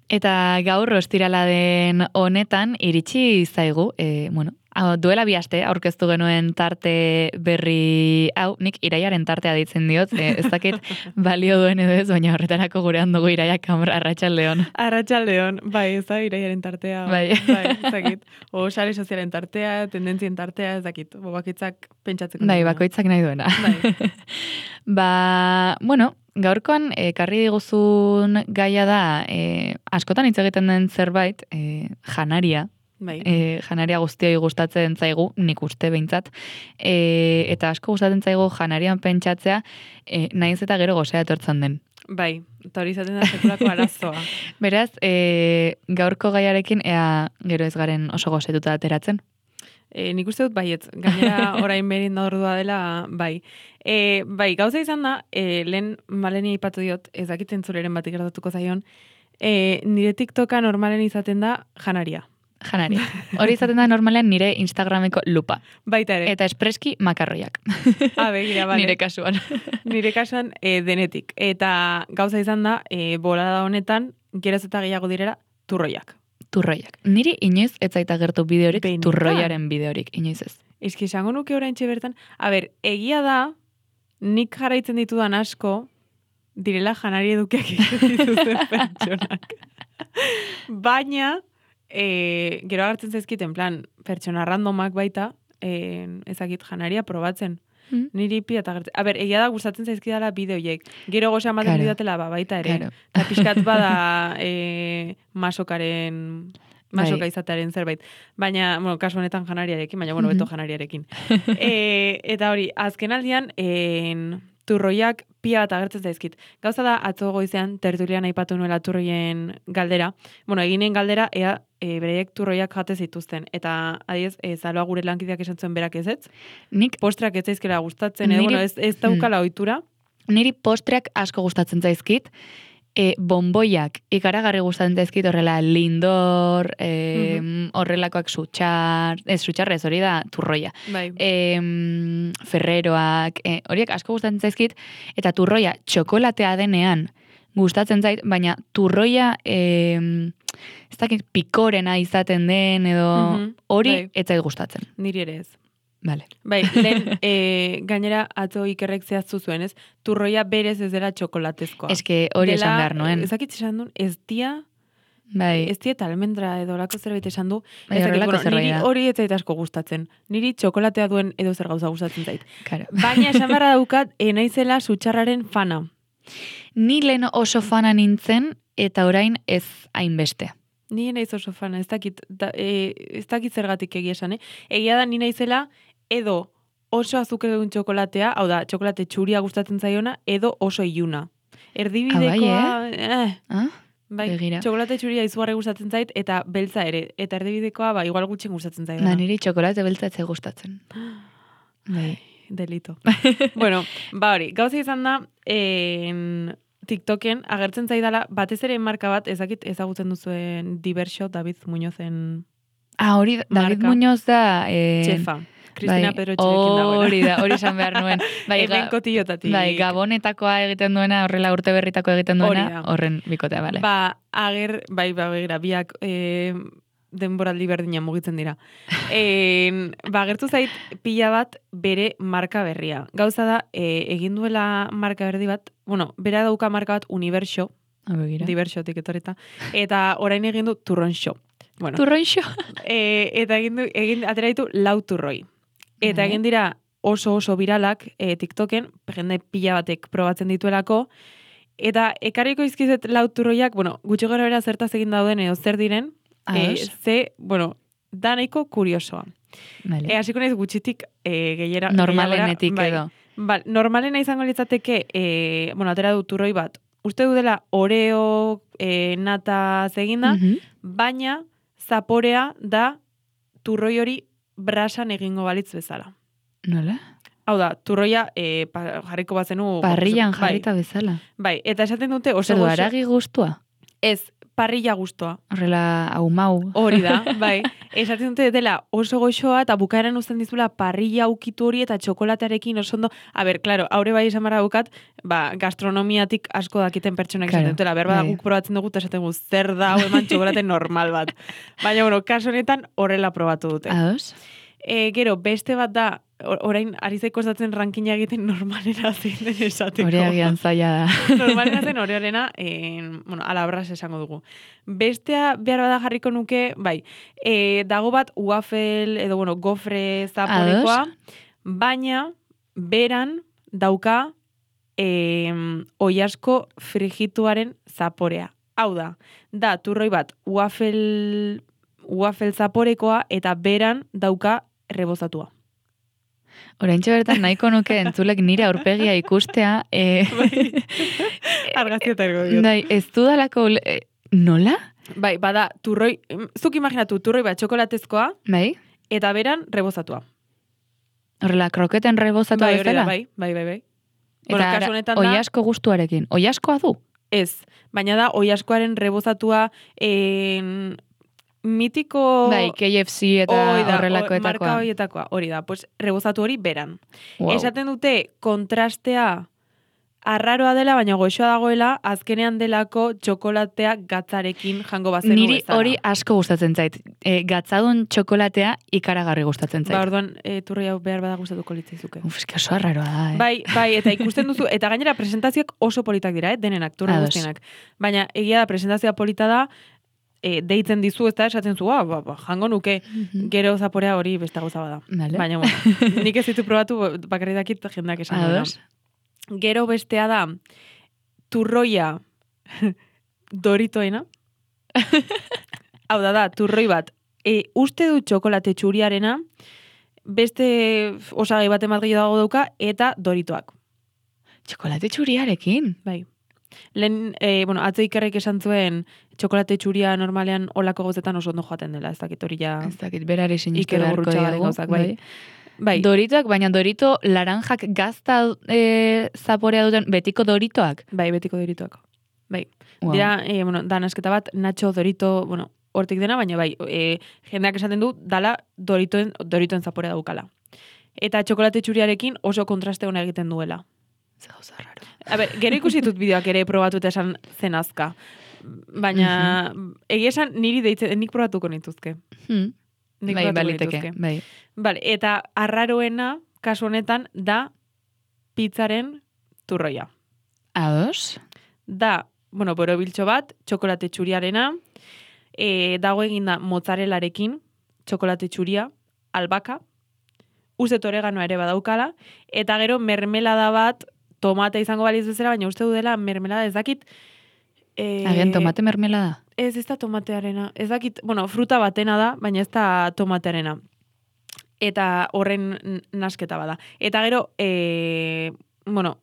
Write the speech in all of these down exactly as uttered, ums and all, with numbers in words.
Eta gaur ostirala den honetan iritsi zaigu, e, bueno, duela bi aste aurkeztu genuen tarte berri hau, nik iraiaren tartea ditzen diot, e, ez dakit balio duen edo ez, baina horretarako gurean dugu iraia kamra, arratsaldeon. Arratsaldeon, bai, ez da iraiaren tartea, bai, bai ez dakit. O sare sozialen tartea, tendentzien tartea, ez dakit, bobakitzak pentsatzeko. Bai, bakoitzak nahi duena. Bai. Ba, bueno, gaurkoan, ekarri diguzun gaia da, e, askotan hitz egiten den zerbait, e, janaria, bai. e, janaria guztioi gustatzen zaigu, nik uste behintzat, e, eta asko gustatzen zaigu janarian pentsatzea, e, nahiz eta gero gozea etortzen den. Bai, eta hori izaten da sekulako arazoa. Beraz, e, gaurko gaiarekin, ea gero ez garen oso gozetuta ateratzen? E, nik uste dut baiet, gainera orain berin da ordua dela, bai. E, bai, gauza izan da, e, lehen maleni aipatu diot, ez dakiten zureren bat ikertatuko zaion, e, nire TikToka normalen izaten da janaria. Janaria. Hori izaten da normalean nire Instagrameko lupa. Baita ere. Eta espreski makarroiak. Ah, begira, bale. Nire kasuan. Nire kasuan e, denetik. Eta gauza izan da, e, bolada honetan, geroz eta gehiago direra, turroiak. Turroiak. Niri inoiz ez zaita gertu bideorik, Benetan. turroiaren bideorik, inoiz ez. Eski, esango nuke oraintxe bertan. A ber, egia da, nik jarraitzen ditudan asko, direla janari edukiak egiten dituzten pertsonak. Baina, e, gero agertzen zaizkit, en plan, pertsona randomak baita, e, ezakit janaria probatzen. Mm. Niri pia eta gertzen. A ber, egia da gustatzen zaizkidala bideoiek. Gero goza ematen Claro. didatela, ba, baita ere. Claro. Eta pixkat bada e, masokaren... masoka Bai. izatearen zerbait. Baina, bueno, kasu honetan janariarekin, baina, bueno, beto janariarekin. e, eta hori, azken aldian, en, turroiak pia bat agertzen zaizkit. Gauza da, atzo goizean, tertulian aipatu nuela turroien galdera. Bueno, eginen galdera, ea, e, bereiek turroiak jate zituzten. Eta, adiez, e, zaloa gure lankideak esan zuen berak ez ez. Nik, Postrak ez zaizkela gustatzen, edo, Niri- bueno, ez, ez daukala ohitura. niri postreak asko gustatzen zaizkit, e, bonboiak ikaragarri gustatzen zaizkit horrela lindor, e, horrelakoak sutxar, ez sutxarrez hori da turroia. Bai. E, ferreroak, e, horiek asko gustatzen zaizkit, eta turroia txokolatea denean gustatzen zait, baina turroia e, ez dakit pikorena izaten den, edo Mhm, hori bai. ez zait gustatzen. Niri ere ez. Vale. Bai, lehen e, gainera atzo ikerrek zehaztu zuen, ez? Turroia berez ez dela txokolatezkoa. Eske hori Dela, esan behar nuen. Ezakit esan duen, ez dia, Bai. ez dia eta almendra edo olako zerbait esan du. Bai, Ez dakit, horrelako bueno, zerbait niri da. hori ez zait asko gustatzen. Niri txokolatea duen edo zer gauza gustatzen zait. Claro. Baina esan beharra daukat, e, naizela sutxarraren fana. Ni lehen oso fana nintzen, eta orain ez hainbeste. Ni naiz oso fana, ez dakit, da, e, ez dakit zergatik egia esan, eh? Egia da ni naizela edo oso azukredun txokolatea, hau da, txokolate txuria gustatzen zaiona, edo oso iluna. Erdibidekoa, eh, Ah? bai, Begira. txokolate txuria izugarri gustatzen zait, eta beltza ere, eta erdibidekoa, ba, igual gutxin gustatzen zait. Da, niri txokolate beltza ez zait gustatzen. Bai. Delito. Bueno, ba hori, gauza izan da, en, TikToken agertzen zaidala, batez ere marka bat, ezakit ezagutzen duzuen Diverso, David Muñozen Ah, hori, David Marka. Muñoz da... Eh, txefa. Cristina bai, Pedro Etxerekin dagoela. Hori da, hori esan behar nuen. Bai, Hemen ga- kotillotatik. bai, gabonetakoa egiten duena, horrela urte berritako egiten Hori duena, da. horren bikotea, bale. Ba, ager, bai, ba, begira, biak e, denboraldi berdina mugitzen dira. E, ba, agertu zait pila bat bere marka berria. Gauza da, e, egin duela marka berdi bat, bueno, bera dauka marka bat Universo, Ah, begira. Diversotik etorreta, eta orain egin du Turronxo. Bueno, Turroixo. e, eta egin du, egin, atera ditu lau turroi. Eta Vale. egin dira oso oso viralak e, TikToken, jende pila batek probatzen dituelako, eta ekarriko izkizet lau turroiak, bueno, gutxi gara bera zertaz egin dauden edo zer diren, e, Ados. ze, bueno, da nahiko kuriosoa. Vale. E, hasiko naiz gutxitik e, gehiera, Normalenetik gehiagora, edo. Bai, normalena izango litzateke, e, bueno, atera du turroi bat, uste du dela oreo, e, nata zeginda, Mhm. baina zaporea da turroi hori brasan egingo balitz bezala. Nola? Hau da, turroia e, pa, jarriko bazenu... Parrillan bai, jarrita bezala. Bai, eta esaten dute oso Zer du, goxo- aragi gustua? Ez, parrilla gustoa. Horrela, hau mau. Hori da, bai. Esaten dute dela oso goxoa eta bukaeran uzten dizula parrilla ukitu hori eta txokolatearekin oso ondo. A ber, claro, aurre bai esan barra bukat, ba, gastronomiatik asko dakiten pertsonak Claro, esaten dutela. Berba bai. guk probatzen dugu eta esaten dugu zer da hau eman txokolate normal bat. Baina, bueno, kasu honetan horrela probatu dute. Ados? E, gero, beste bat da, or- orain ari zaiko esatzen rankina egiten normalera zein den esateko. Hori agian zaila da. Normalena zen hori horrena, en, bueno, alabras esango dugu. Bestea behar bada jarriko nuke, bai, e, dago bat waffle edo, bueno, gofre zaporekoa, baina beran dauka e, oiasko frigituaren zaporea. Hau da, da turroi bat waffle, waffle zaporekoa eta beran dauka rebozatua. Oraintxe bertan nahiko nuke entzulek nire aurpegia ikustea. E, Argazki eta ergo diot. Bai, ez dudalako... E, nola? Bai, bada, turroi, zuk imaginatu, turroi bat txokolatezkoa, Bai? eta beran rebozatua. Horrela, kroketen rebozatu Bai, hori da, bezala? bai, bai, bai, bai. Eta Bueno, ara, kasu honetan da, oiasko gustuarekin. Oiaskoa du? ez, baina da, oiaskoaren rebozatua en, mitiko... Bai, K F C eta Hoi da, horrelakoetakoa. o- marka horietakoa, hori da, pues, rebozatu hori beran. Wow. Esaten dute kontrastea arraroa dela, baina goxoa dagoela, azkenean delako txokolatea gatzarekin jango bazenu Niri bezala. hori asko gustatzen zait. E, gatzadun txokolatea ikaragarri gustatzen zait. Ba, orduan, e, turroi hau behar bada gustatuko litzaizuke. Uf, eske oso arraroa da, eh? Bai, bai, eta ikusten duzu, eta gainera presentazioak oso politak dira, eh, denenak, turre Ados. guztienak. Baina egia da, presentazioa polita da, e, deitzen dizu, ez da, esaten zu, ah, ba, ba, jango nuke, Mhm. gero zaporea hori beste gauza bada. Vale. Baina, bueno, nik ez ditu probatu, bakarri dakit jendeak esan duena. Ados? Gero bestea da, turroia doritoena. Hau da, da, turroi bat. E, uste du txokolate txuriarena, beste osagai bat emat gehiago dago dauka, eta doritoak. Txokolate txuriarekin? Bai. Lehen, e, bueno, atzo ikerrek esan zuen txokolate txuria normalean olako gauzetan oso ondo joaten dela, ez dakit hori ja Ez dakit, berari sinistu Iker beharko Gurrutxagaren diagu. gauzak, bai. Bai, Doritoak, baina dorito laranjak gazta e, zaporea duten betiko doritoak. bai, betiko doritoak. Bai. Wow. Dira, e, bueno, da nasketa bat, Nacho Dorito, bueno, hortik dena, baina bai, e, jendeak esaten du, dala doritoen, doritoen zaporea daukala. Eta txokolate txuriarekin oso kontraste hona egiten duela. Ze gauza raro. A ber, gero ikusi dut bideoak ere probatu eta esan zen azka. Baina, egia esan niri deitzen, nik probatuko nituzke. Hmm. Nik Bai, probatuko baliteke, nituzke. bai. Vale, eta arraroena, kasu honetan, da pizzaren turroia. Ados? Da, bueno, borobiltxo bat, txokolate txuriarena, e, dago eginda mozzarelarekin, txokolate txuria, albaka, uste oreganoa ere badaukala, eta gero mermelada bat, tomate izango baliz bezala, baina uste du dela mermelada ez dakit... E, Agian tomate mermelada? Ez, ez da tomatearena. Ez dakit, bueno, fruta batena da, baina ez da tomatearena. Eta horren n- nasketa bada. Eta gero, e, bueno,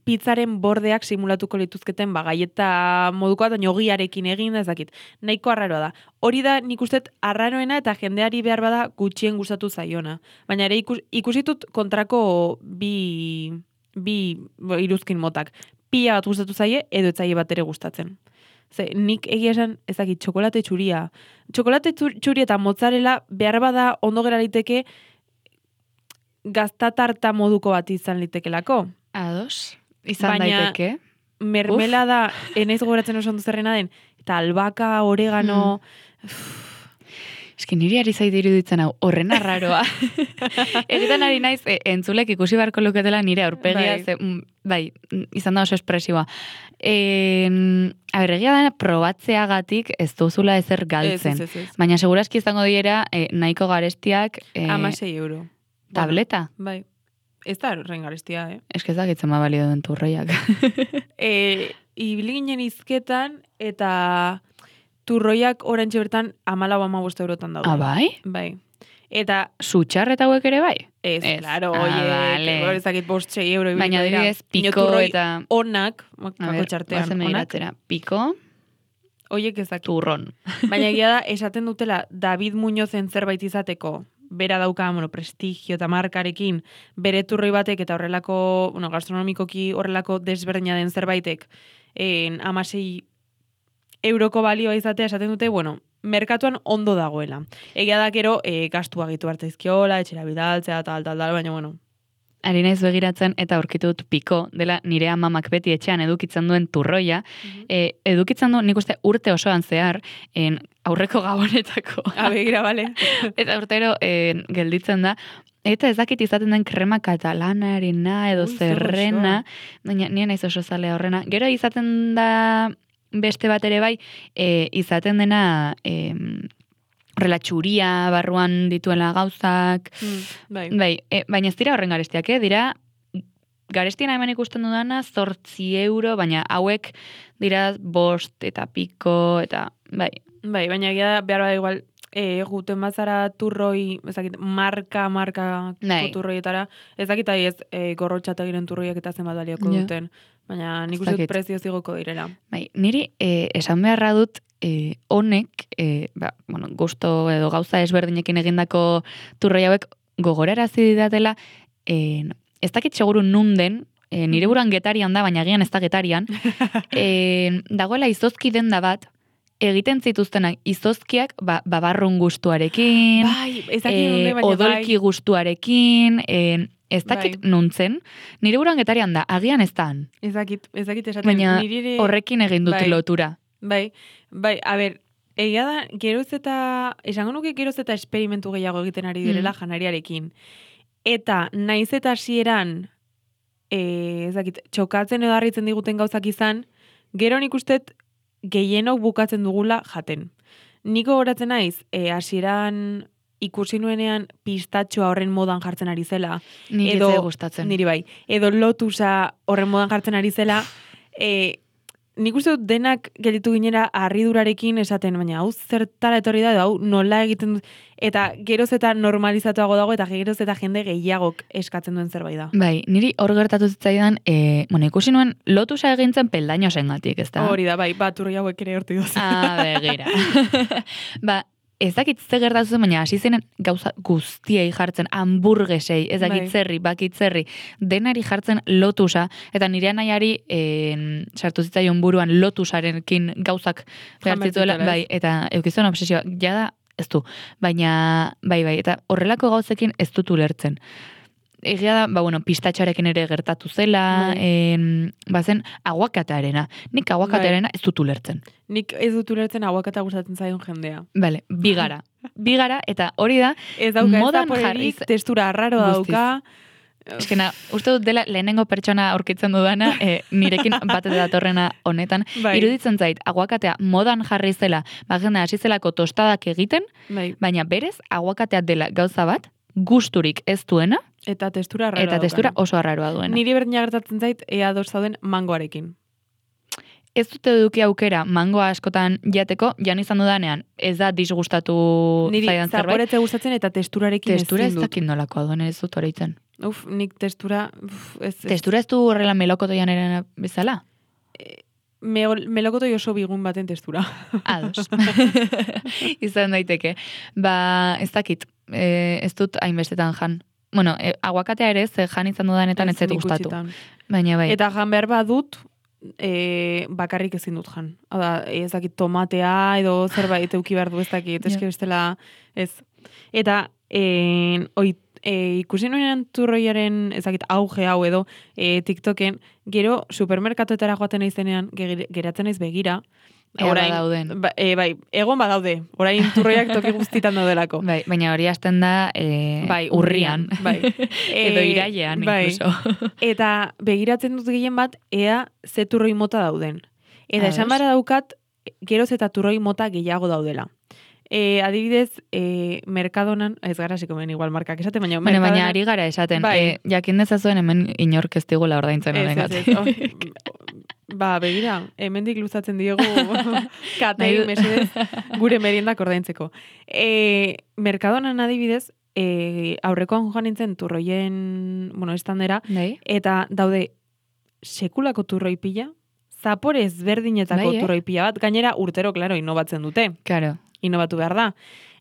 pizzaren bordeak simulatuko lituzketen, ba, gaieta modukoa, da ogiarekin egin, ez dakit. Nahiko arraroa da. Hori da, nik uste arraroena eta jendeari behar bada gutxien gustatu zaiona. Baina ere ikus, ikusitut kontrako bi, bi bo, iruzkin motak. Pila bat gustatu zaie, edo ez zaie bat ere gustatzen. Ze, nik egia esan, ez dakit, txokolate txuria. Txokolate txur- txuria eta mozzarella behar bada ondo gera liteke gaztatarta moduko bat izan litekelako. Ados? Izan Baina- daiteke. Mermelada, enaiz gogoratzen oso ondo zerrena den, eta albaka, oregano... Eski niri ari zaite iruditzen hau, horren arraroa. Egitan ari naiz, e, entzulek ikusi beharko luketela nire aurpegia, Bai. ze, mm, bai, mm, izan da oso espresiboa. E, a ber, egia da, probatzeagatik ez duzula ezer galtzen. Ez, ez, ez, ez. Baina seguraski izango diera, e, nahiko garestiak, e, Amasei euro. tableta. Bueno, bai. Ez da horren garestia, eh? Eske ez dakitzen ma balio duen turroiak. E, ibili ginen izketan, eta turroiak orantxe bertan amalau amabost eurotan daude. Ah, bai? Bai. Eta, Zutxar eta hauek ere bai? ez, Ez. claro, Ah, oie, vale. hor ezakit bost sei euro. ibiliko Baina dira. adibidez, Baina piko turroi eta... onak, A kako ber, txartean, bazen onak, begiratzera. Piko, oiek ezak. turron. Baina egia da, esaten dutela, David Muñozen zerbait izateko, bera dauka, bueno, prestigio eta markarekin, bere turroi batek eta horrelako, bueno, gastronomikoki horrelako desberdina den zerbaitek, en, amasei euroko balioa izatea esaten dute, bueno, merkatuan ondo dagoela. Egia da gero, e, gastu agitu hartzaizkiola, etxera bidaltzea, tal, tal, tal, baina, bueno. Ari naiz begiratzen eta aurkitu dut piko, dela nire amamak beti etxean edukitzen duen turroia, mm-hmm. e, edukitzen du nik uste urte osoan zehar, en, aurreko gabonetako. Abegira, bale. Eta urtero en, gelditzen da, eta ez dakit izaten den krema katalanarena edo Ui, zerrena, baina nien naiz oso zalea horrena. Gero izaten da beste bat ere bai, e, izaten dena... E, horrela txuria, barruan dituela gauzak, mm, bai. bai, e, baina ez dira horren garestiak, eh? Dira, garestiena hemen ikusten dudana, zortzi euro, baina hauek dira bost eta piko, eta bai. Bai, baina egia behar bada igual, e, guten bazara turroi, ezakit, marka, marka bai. turroietara, ezakit ahi ez e, gorrotxategiren turroiek eta zenbat balioko ja. duten, baina nik uste dut prezio zigoko direla. Bai, niri e, esan beharra dut, E, honek, e, ba, bueno, gusto edo gauza ezberdinekin egindako turroi hauek gogorarazi didatela, e, ez dakit seguru nunden, e, nire buruan getarian da, baina agian ez da getarian, e, dagoela izozki denda bat, egiten zituztenak izozkiak ba, babarrun gustuarekin, bai, ez dakit e, nunde, baina odolki bai. gustuarekin, e, ez dakit bai. nuntzen, nire buruan getarian da, agian ez dan. Ez dakit, ez dakit esaten. Baina nire... horrekin egin dut bai. lotura. Bai, bai, a ber, egia da, geroz eta, esango nuke geroz eta esperimentu gehiago egiten ari direla mm. janariarekin. Eta naiz eta hasieran eh, ez dakit, txokatzen edo harritzen diguten gauzak izan, gero nik ustet gehienok bukatzen dugula jaten. Niko goratzen naiz, eh, hasieran ikusi nuenean pistatxoa horren modan jartzen ari zela. Niri edo, gustatzen. Niri bai. Edo lotusa horren modan jartzen ari zela, eh, nik uste dut denak gelditu ginera harridurarekin esaten, baina hau zertara etorri da, hau nola egiten dut, eta geroz eta normalizatuago dago, eta geroz eta jende gehiagok eskatzen duen zerbait da. Bai, niri hor gertatu zitzaidan, e, bueno, ikusi nuen lotusa egintzen peldaino zengatik, ez da? Hori da, bai, bat urri hauek ere horti duz. Ah, begira. Ba, ez dakit ze gertatu zen, baina hasi zenen gauza guztiei jartzen, hamburgesei, ez dakit bai. zerri, bakitzerri, denari jartzen lotusa, eta nire anaiari eh, sartu zitzaion buruan lotusarekin gauzak behartzituela, bai, eta eukizuen obsesioa, jada ez du, baina, bai, bai, eta horrelako gauzekin ez dut ulertzen. Egia da, ba, bueno, pistatxoarekin ere gertatu zela, en, bazen aguakatearena. Nik aguakatearena ez dut ulertzen. Nik ez dut ulertzen aguakata gustatzen zaion jendea. Bale, bigara. Bigara, eta hori da, ez dauka, modan ez da jarriz... Testura arraro dauka. Eskena, uste dut dela lehenengo pertsona aurkitzen dudana, e, nirekin bat datorrena honetan. Bai. Iruditzen zait, aguakatea modan jarri zela, ba, jendea hasi zelako tostadak egiten, bai. Baina berez, aguakatea dela gauza bat, gusturik ez duena, eta testura arraroa eta testura oso arraroa duena. Niri berdina gertatzen zait, ea ados zauden mangoarekin. Ez dute eduki aukera mangoa askotan jateko, jan izan dudanean, ez da disgustatu niri zaidan zerbait. Niri zaporetze gustatzen eta testurarekin testura ezin dut. Testura ez dakit nolakoa duen, ez dut horreitzen. Uf, nik testura... Uf, ez, ez. Testura ez du horrela melokotoian eren bezala? E, me, melokotoi oso bigun baten testura. Ados. Izan daiteke. Ba, ez dakit, e, ez dut hainbestetan jan. Bueno, e, aguakatea ere, ze jan izan dudanetan ez zet gustatu. Baina bai. Eta jan behar badut, e, bakarrik ezin dut jan. Hada, ez dakit tomatea edo zerbait euki behar du ez dakit, eske bestela ez. Eta, e, oi, e, ikusi nuenean turroiaren ez dakit auge hau edo e, TikToken, gero supermerkatoetara joaten naizenean, geratzen naiz begira, orain dauden. Ba, e, bai, egon badaude. Orain turroiak toki guztitan daudelako. Bai, baina hori hasten da e, bai, urrian. Bai. Edo irailean, bai. incluso. Eta begiratzen dut gehien bat, ea ze turroi mota dauden. Eta esan bara daukat, geroz eta turroi mota gehiago daudela. E, adibidez, e, Mercadonan, ez gara zikomen igual markak esaten, baina... Baina, baina ari gara esaten, bai. e, jakin dezazuen hemen inork ez digula ordaintzen honegatik. Ba, begira, hemendik luzatzen diegu katei mesedez gure meriendak ordaintzeko. E, Mercadonan adibidez, e, aurrekoan joan nintzen turroien, bueno, estandera, Dei? Eta daude sekulako turroi pila, zapore ezberdinetako bai, eh? turroi pila bat, gainera urtero, klaro, inobatzen dute. Claro. Inobatu behar da.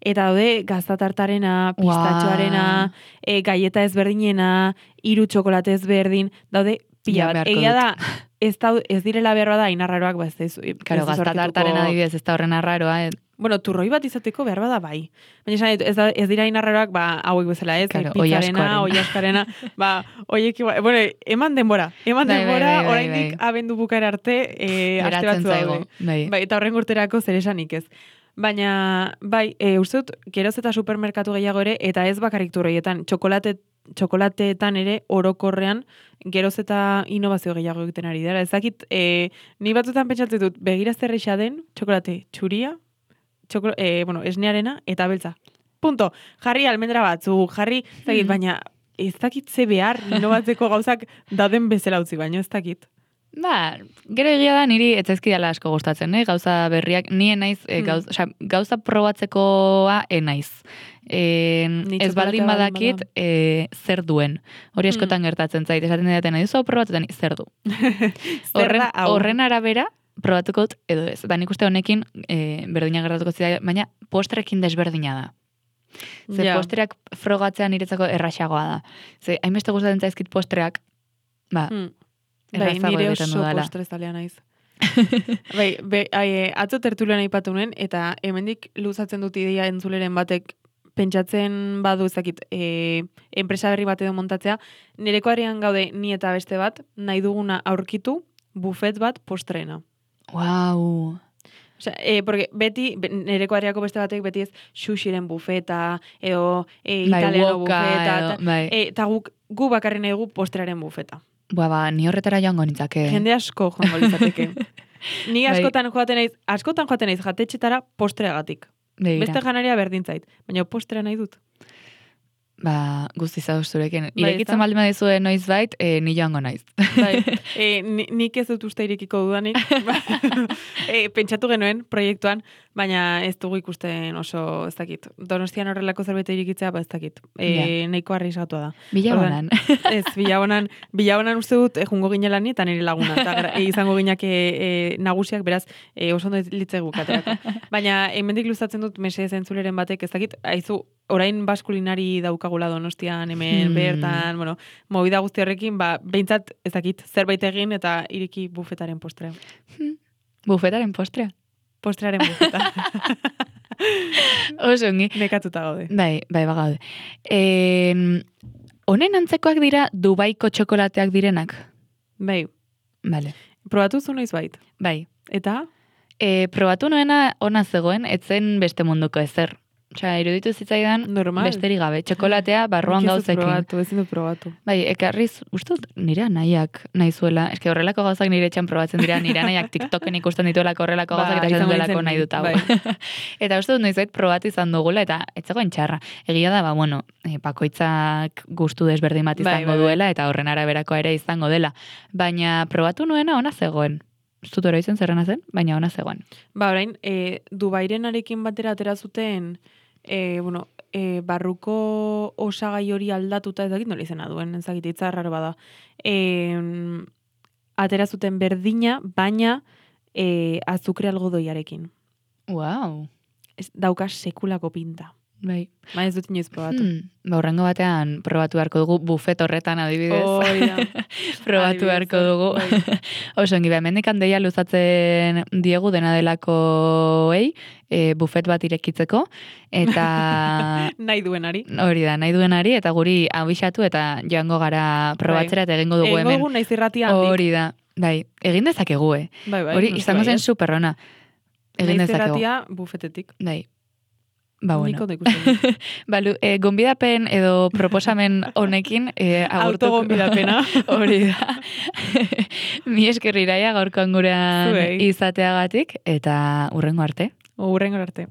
Eta daude gaztatartarena, pistatxoarena, wow. e, gaieta ezberdinena, hiru txokolate ezberdin, daude pila Ja, bat. beharko Egia dut. da, ez, da, ez direla behar da inarraroak, ba, ez da, ez, Karo, ez gaztatartaren aurkituko- adibidez, ez da horren arraroa, eh? Bueno, turroi bat izateko behar bada bai. Baina esan dut, ez, da, ez dira inarraroak, ba, hauek bezala, ez? Claro, Pizzarena, oilaskoarena. oilaskarena, ba, oiek, igual- bueno, eman denbora, eman Bai, bai, denbora, bai, bai, oraindik bai. abendu bukaera arte, e, aste Geratzen batzu zaigu, daude. bai. Bai, eta horren urterako zer esanik ez. Baina, bai, e, uste dut, geroz eta supermerkatu gehiago ere, eta ez bakarrik turroietan, txokolate, txokolateetan ere orokorrean geroz eta innovazio gehiago egiten ari dira. Ez dakit, e, ni batzutan pentsatzen dut, begira zer eixa den, txokolate txuria, txokol, e, bueno, esnearena eta beltza. Punto. Jarri almendra batzu, jarri, ez dakit, Hmm. baina ez dakit ze behar innovatzeko gauzak daden bezala utzi, baina ez dakit. Ba, gero egia da niri etzaizkidala asko gustatzen, eh? Gauza berriak, nien naiz, eh, Hmm. gauz, osea, gauza probatzekoa enaiz. E, Ni ez txokolatea baldin baldin badakit bada. e, zer duen. Hori Hmm. askotan gertatzen zait, esaten didaten, nahi duzu probatzen, zer du. Zer Horren, da hau? horren arabera, probatuko dut edo ez. Ba, nik uste honekin e, berdina gertatuko zida, baina postrekin desberdina da. Ze Ja. postreak frogatzea niretzako erraxagoa da. Ze, hainbeste gustatzen zaizkit postreak, ba, Hmm. Bai, errazago nire egiten oso dudala. postrezalea naiz. bai, be, ai, atzo tertulian aipatu nuen, eta hemendik luzatzen dut ideia entzuleren batek pentsatzen badu ezakit, e, enpresa berri bat edo montatzea, nirekoarean gaude ni eta beste bat, nahi duguna aurkitu, bufet bat postreena. Wow. Osea, e, porque beti, be- nirekoareako beste batek beti ez sushiren bufeta, edo e, Bai, italiano woka, bufeta, edo, eta bai. e, eta guk, gu bakarri nahi dugu postrearen bufeta. Ba, ba, ni horretara joango nintzake. Jende asko joango litzateke. Ni Bai. askotan joaten naiz, askotan joaten naiz jatetxetara postreagatik. Begira. Beste janaria berdin zait, baina postrea nahi dut. Ba, guzti zauz zurekin. Bai, Irekitzen ezta? baldin badizue noiz bait, e, ni joango naiz. Bai, e, ni, nik ez dut uste irekiko dudanik. e, pentsatu genuen proiektuan, baina ez dugu ikusten oso, ez dakit. Donostian horrelako zerbait irikitzea, ba ez dakit. E, nahiko arrisgatua da. Bilabonan. Ez, bilabonan, bilabonan uste dut e, jungo ginela ni eta nire laguna. Eta gra- e, izango ginak e, e, nagusiak, beraz, e, oso ondo litzegu katerako. Baina, hemendik luzatzen dut mese zentzuleren batek, ez dakit, aizu, orain baskulinari daukagula Donostian, hemen, Hmm. bertan, bueno, movida guzti horrekin, ba, behintzat, ez dakit, zerbait egin eta iriki bufetaren postrea. Bufetaren postrea. Postrearen bufeta. Oso ongi. Nekatuta gaude. Bai, bai, bagaude. E, honen antzekoak dira Dubaiko txokolateak direnak? Bai, Vale. probatu zu noiz bait. Bai. Eta? E, probatu nuena ona zegoen, etzen beste munduko ezer. Osea, iruditu zitzaidan Normal. besterik gabe. Txokolatea barruan Nik ez dut gauzekin. probatu, ezin dut probatu. Bai, ekarriz, uste dut nire nahiak nahi zuela. Eske horrelako gauzak nire etxan probatzen dira, nire nahiak TikToken ikusten dituelako horrelako Ba, gauzak eta esan izango duelako nintzen nahi ni, dut hau. bai. Eta uste dut noizbait probatu izan dugula, eta ez zegoen txarra. Egia da, ba, bueno, e, bakoitzak gustu desberdin bat Bai, izango bai, bai. duela, eta horren araberakoa ere izango dela. Baina probatu nuena ona zegoen. Ez dut oroitzen zerrena zen, baina ona zegoen. Ba, orain, e, Dubairenarekin batera atera zuten, e, bueno, e, barruko osagai hori aldatuta, ez dakit nola izena duen, ez dakit, hitza raro bada. E, atera zuten berdina, baina e, azukre algodoiarekin. Wow. Ez, dauka sekulako pinta. Bai. Ba, ez dut inoiz probatu. Hmm. Ba, horrengo batean probatu beharko dugu bufet horretan adibidez. Hori da. Probatu Adibidez, beharko dugu. bai. Oso ongi, hemendik handeia luzatzen diegu dena delakoei, e, bufet bat irekitzeko, eta Nahi duenari. hori da, nahi duenari, eta guri abixatu eta joango gara probatzera eta egingo dugu Egingo hemen. dugu naiz irratia handik. Hori da, bai, egin dezakegu, eh? Bai, bai, Hori, noski izango zen baietz. superrona. Egin Naiz dezakegu. irratia bufetetik. Bai. Ba, Nik bueno. ondo ikusten dut. Balu, e, gonbidapen edo proposamen honekin e, agurtuko. Autogonbidapena. Hori da. Mi esker Iraia gaurkoan gurean Zuei. izateagatik eta hurrengo arte. Hurrengo arte.